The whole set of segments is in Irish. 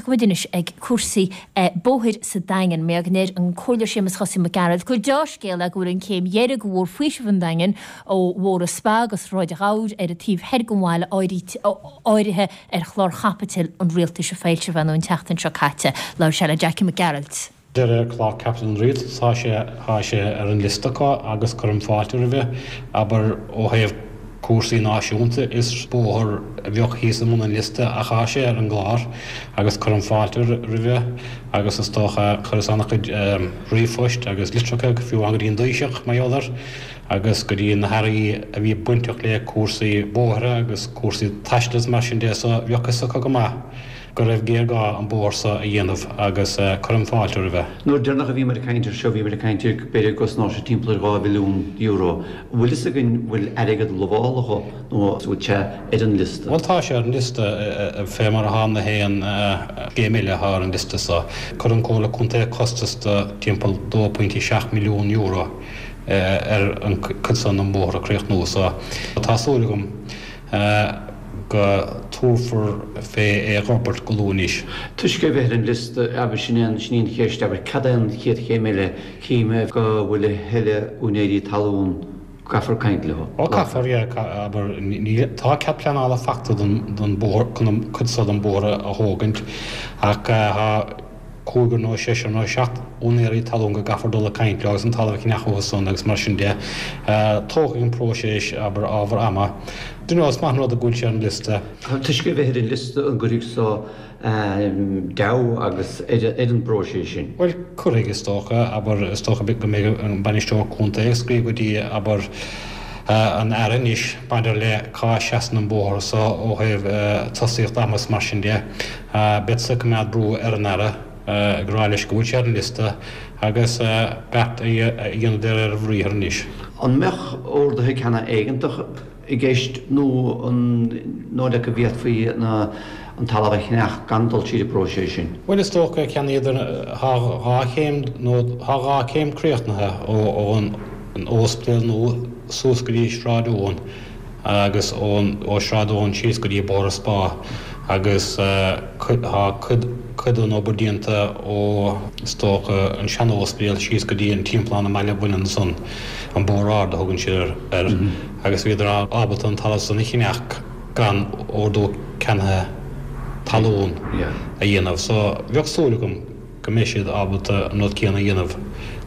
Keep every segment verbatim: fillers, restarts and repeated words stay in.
Tosóidh muid anois ag cúrsaí bóthair sa Daingean. Mar go ndeir an Comhairleoir Séamus Chosaí Mac Gearailt gur dea-scéal é go bhfuil an chéim dheiridh de Bhóthar Faoisimh an Daingin ó Bhóthar an Spa go Sráid an Ghabhair ar an taobh thoir den bhaile áirithe ar chlár chaipitil an rialtais a foilsíodh an tseachtain seo caite. Labhair sé le Jackie Mac Gearailt. De réir clár caipitil an rialtais tá sé tá sé ar an liosta acu agus cuirim fáilte roimhe, abair ó thaobh cúrsaí náisiúnta is bóthar a bheadh thíos i mbun an liosta ach tá sé ar an gclár agus cuirim fáilte roimhe agus is dócha chuireas an-chuid ríomhphoist agus litreacha fiú go dtí an Taoiseach mar gheall air agus go dtí na hairí a bhí bainteach le cúrsaí bóithre agus cúrsaí taistil is mar sin de so bheadh fhios acu go maith go raibh géarghá an bóthar seo a dhéanamh agus cuirim fáilte roimhe. Nuair deireanach a bhí muid ag caint air seo bhí muid ag caint ar b'fhéidir go gcosnódh sé timpeall ar dhá mhilliún euro. An bhfuil fhios againn bhfuil airgead lamháltha dhó nó an bhfuil sé ar an liosta? Bhuel tá sé ar an liosta fé mar atá na haon scéim eile atá ar an liosta seo. Chuir an Comhairle Contae costas de timpeall dó pointe seacht milliún euro ar an cuid seo den bhóthar a chríochnú so tá súil agam go dtabharfar fé é a fhorbairt go luath anois. Toisc é bheith ar an liosta, abair, sin é an, sin í an cheist, abair, cad é an chéad chéim eile? Cím go bhfuil a thuilleadh úinéirí talún, caithfear caint leo. Ó caithfear, yeah, abair, níl, tá cead pleanála faighte don, don bóthar, chun an cuid seo den bóthar a thógaint ach tá cúigear nó seisear nó seacht úinéirí talún go gcaithfear dul ag caint leo agus an talamh a cheannach uathu san agus mar sin de. Tógfaidh an próiseas, abair, ábhar ama. Do you know, is maith an rud go bhfuil sé ar an liosta. Toisc é bheith ar an liosta an gcuirfidh so deabhadh agus ar an bpróiseas sin? Bhuel, cuirfidh, is dócha. Abair, is dócha go mbeidh an bainisteoir contae ag scríobh go dtí, abair, an Aire anois maidir le cá seasann an bóthar so ó thaobh tosaíocht ama is mar sin de. Beadsa ag coimeád brú ar an Aire ag rá leis go bhfuil sé ar an liosta agus beart a dhéanamh de réir a bhriathair anois. An mbeadh orduithe ceannaithe éigeantach i gceist nó an dóigh leat go bhféadfaí an talamh a cheannach gan dul tríd an bpróiseas sin? Bhuel is dócha ceannaíodar, tá dhá chéim nó tá dhá chéim críochnaithe ón Ospidéal Nua suas go dtí Sráid Eoin agus ó Sráid Eoin síos go dtí Bóthar Spá agus tá cuid cuid den obair déanta ó is dócha an sean-ospidéal síos go dtí an timpeallán i mBaile Bhuirne ansan, an Bóthar Ard a thugann siad air, agus bhíodar ábalta an talamh san a cheannach gan ordú ceannaithe talún a dhéanamh. So bheadh súil agam go mbeidh siad ábalta an rud céanna a dhéanamh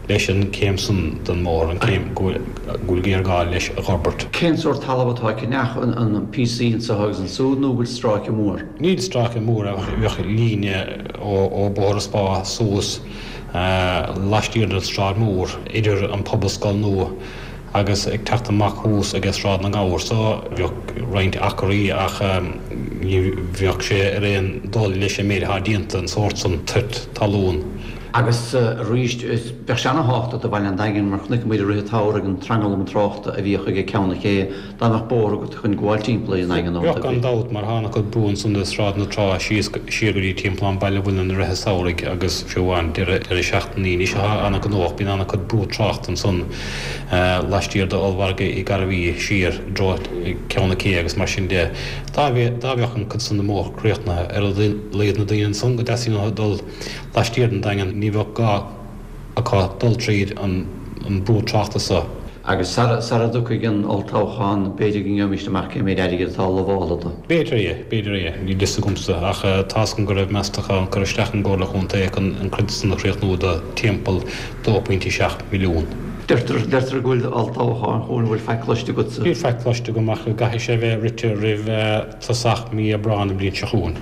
leis an céim san den mbóthar, an céim go bhfuil géarghá leis a fhorbairt. Cén sórt talamh atá á cheannach, an píosaí anseo agus ansúd nó bhfuil stráice mór? Níl stráice mór ach bheadh líne ó Bóthar an Spá suas laistiar den tSráid Mhór idir an Pobalscoil nua agus ag teacht amach thuas ag Sráid na nGabhar so bheadh roinnt acraí ach ní bheadh sé ar aon dul leis an méid atá déanta, an sórt san toirt talún. Agus arís, bheadh sé ana-thábhachtach do bhaile an Daingin mar chonaic muid i rith an tsamhraidh an tranglam tráchta a bhíodh ag Ceann na Cé, dá mbeadh bóthar agat chun gabháil timpeall ar an nDaingean ó Bheadh gan dabht mar tá an-chuid brú ansan i Sráid na Trá síos siar go dtí timpeallán Baile Bhuirne i rith an tsamhraidh agus fiú amháin deireadh seachtaine anois atá ana-ghnóthach bíonn an-chuid brú tráchta ansan laistiar d'ollmhargadh Uí Ghairbhí siar i dtreo Ceann na Cé agus mar sin de. Dá mbeadh an cuid san den mbóthar críochnaithe, ar a laghad na daoine ansan go dteastaíonn uathu dul laistiar den Daingean, ní bheadh gá acu dul tríd an brú tráchta so. Agus sara dtiocfaidh an olltoghchán, b'fhéidir go ngeobhaimis amach cé méid airgid atá lamháltha dó. B'fhéidir é, b'fhéidir é. Níl fhios agamsa, ach tá's agam go raibh meastachán curtha isteach ón gComhairle Chontae chun an chuid san a chríochnú do timpeall dó pointe seacht milliún. Deirtear, deirtear go bhfuil olltoghchán chugainn, an bhfuil faic cloiste agatsa? Níl faic cloiste agam ach go gcaithfidh sé bheith rite roimh tosach mí Aibreáin an bhliain seo chugainn.